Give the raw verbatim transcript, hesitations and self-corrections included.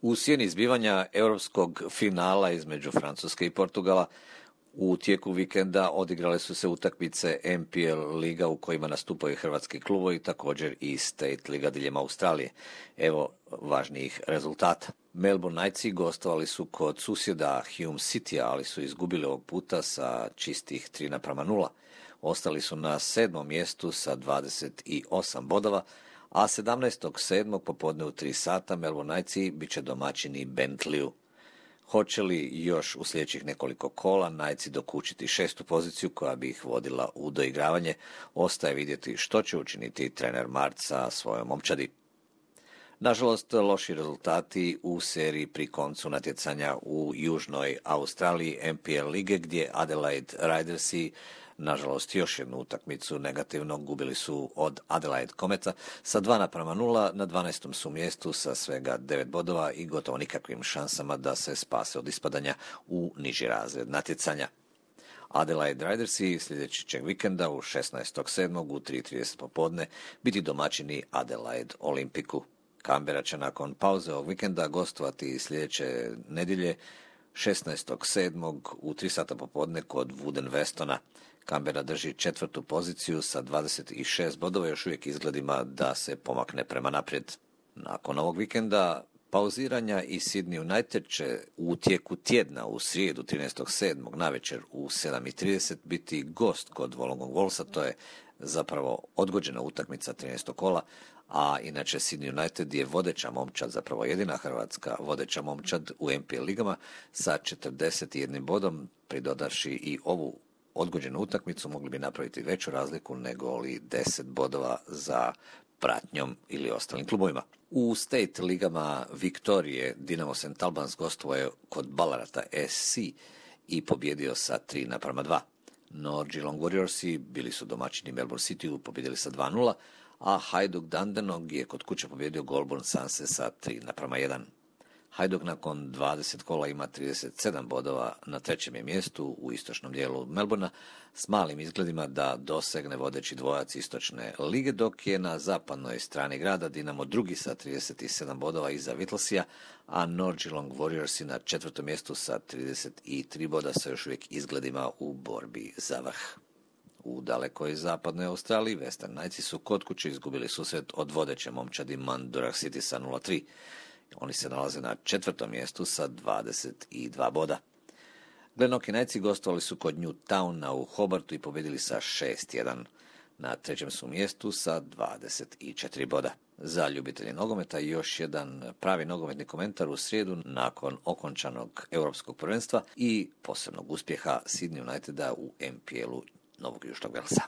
U sjeni izbivanja europskog finala između Francuske i Portugala u tijeku vikenda odigrale su se utakmice N P L liga u kojima nastupaju hrvatski klubovi, također i State liga diljem Australije. Evo važnijih rezultata. Melbourne Knightsi gostovali su kod susjeda Hume Citya, ali su izgubili ovog puta sa čistih tri naprama nula. Ostali su na sedmom mjestu sa dvadeset osam bodova, a sedamnaestog sedmog popodne u tri sata Melbourne Knightsi bit će domaćini Bentleyu. Hoće li još u sljedećih nekoliko kola Knightsi dokučiti šestu poziciju koja bi ih vodila u doigravanje, ostaje vidjeti što će učiniti trener Mart sa svojom momčadi. Nažalost, loši rezultati u seriji pri koncu natjecanja u Južnoj Australiji N P L lige gdje Adelaide Ridersi nažalost još jednu utakmicu negativno gubili su od Adelaide Cometa sa dva naprama nula, na dvanaestom su mjestu sa svega devet bodova i gotovo nikakvim šansama da se spase od ispadanja u niži razred natjecanja. Adelaide Ridersi sljedećeg vikenda u šesnaestog sedmog u tri trideset popodne biti domaćini Adelaide Olympicu. Canberra će nakon pauze ovog vikenda gostovati sljedeće nedjelje šesnaestog sedmog u tri sata popodne kod Wooden Westona. Canberra drži četvrtu poziciju sa dvadeset šest bodova, još uvijek izgledima da se pomakne prema naprijed. Nakon ovog vikenda pauziranja i Sydney United će u tijeku tjedna u srijedu trinaestog sedmog navečer u sedam i trideset biti gost kod Wollongong Wallsa, to je zapravo odgođena utakmica trinaestog kola, a inače Sydney United je vodeća momčad, zapravo jedina hrvatska vodeća momčad u N P L ligama sa četrdeset jednim bodom, pridodavši i ovu odgođenu utakmicu mogli bi napraviti veću razliku nego li deset bodova za pratnjom ili ostalim klubovima. U State ligama Viktorije Dinamo Saint Albans gostovao kod Ballarata S C i pobjedio sa tri naprama dva. No Geelong Warriorsi bili su domaćini Melbourne Cityu, pobjedili sa dva nula, a Hajduk Dandenong je kod kuće pobjedio Goulburn Sunse sa tri naprama jedan. Hajduk nakon dvadeset kola ima trideset sedam bodova, na trećem je mjestu u istočnom dijelu Melbourna s malim izgledima da dosegne vodeći dvojac istočne lige, dok je na zapadnoj strani grada Dinamo drugi sa trideset sedam bodova iza Whittlesea, a North Geelong Warriorsi na četvrtom mjestu sa trideset tri boda sa još uvijek izgledima u borbi za vrh. U dalekoj zapadnoj Australiji Western Knightsi su kod kuće izgubili susret od vodeće momčadi Mandurah City sa nula tri. Oni se nalaze na četvrtom mjestu sa dvadeset dva boda. Glenorchy Knightsi gostovali su kod Newtowna u Hobartu i pobjedili sa šest jedan. Na trećem su mjestu sa dvadeset četiri boda. Za ljubitelje nogometa još jedan pravi nogometni komentar u srijedu nakon okončanog europskog prvenstva i posebnog uspjeha Sydney Uniteda u N P L-u Novog Južnog Velsa.